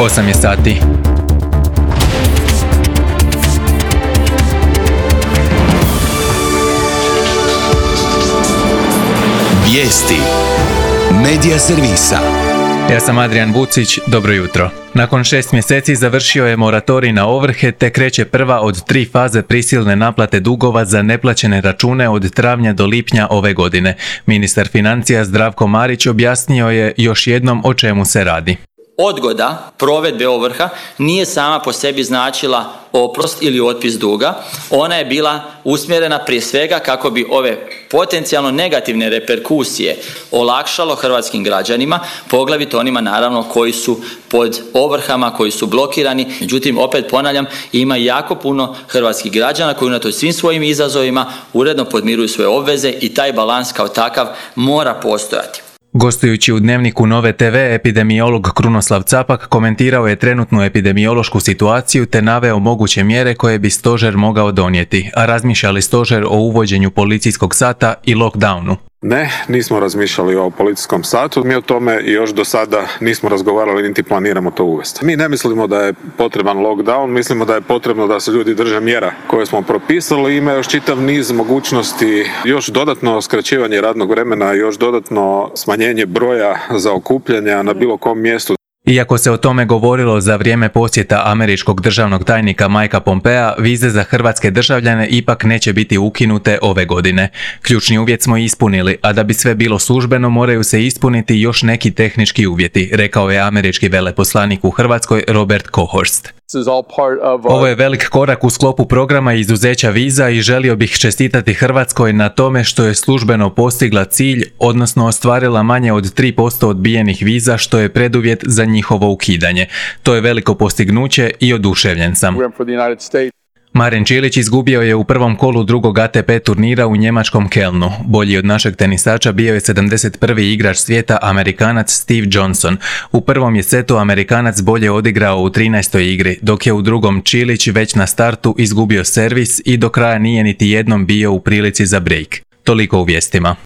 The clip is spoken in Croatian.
8 je sati. Vijesti Medija servisa. Ja sam Adrian Vucić, dobro jutro. Nakon 6 mjeseci završio je moratorij na ovrhe te kreće prva od 3 faze prisilne naplate dugova za neplaćene račune od travnja do lipnja ove godine. Ministar financija Zdravko Marić objasnio je još jednom o čemu se radi. Odgoda provedbe ovrha nije sama po sebi značila oprost ili otpis duga. Ona je bila usmjerena prije svega kako bi ove potencijalno negativne reperkusije olakšalo hrvatskim građanima, poglavito onima naravno koji su pod ovrhama, koji su blokirani. Međutim, opet ponavljam, ima jako puno hrvatskih građana koji unatoč svim svojim izazovima uredno podmiruju svoje obveze i taj balans kao takav mora postojati. Gostujući u Dnevniku Nove TV, epidemiolog Krunoslav Capak komentirao je trenutnu epidemiološku situaciju te naveo moguće mjere koje bi stožer mogao donijeti, a razmišlja li stožer o uvođenju policijskog sata i lockdownu? Ne, nismo razmišljali o policijskom satu, mi o tome još do sada nismo razgovarali niti planiramo to uvesti. Mi ne mislimo da je potreban lockdown, mislimo da je potrebno da se ljudi drže mjera koje smo propisali. Ima još čitav niz mogućnosti, još dodatno skraćivanje radnog vremena, još dodatno smanjenje broja za okupljanja na bilo kom mjestu. Iako se o tome govorilo za vrijeme posjeta američkog državnog tajnika Mikea Pompea, vize za hrvatske državljane ipak neće biti ukinute ove godine. Ključni uvjet smo ispunili, a da bi sve bilo službeno moraju se ispuniti još neki tehnički uvjeti, rekao je američki veleposlanik u Hrvatskoj Robert Kohorst. Ovo je velik korak u sklopu programa izuzeća viza i želio bih čestitati Hrvatskoj na tome što je službeno postigla cilj, odnosno ostvarila manje od 3% odbijenih viza, što je preduvjet za njihovo ukidanje. To je veliko postignuće i oduševljen sam. Marin Čilić izgubio je u prvom kolu drugog ATP turnira u njemačkom Kelnu. Bolji od našeg tenisača bio je 71. igrač svijeta Amerikanac Steve Johnson. U prvom je setu Amerikanac bolje odigrao u 13. igri, dok je u drugom Čilić već na startu izgubio servis i do kraja nije niti jednom bio u prilici za break. Toliko u vijestima.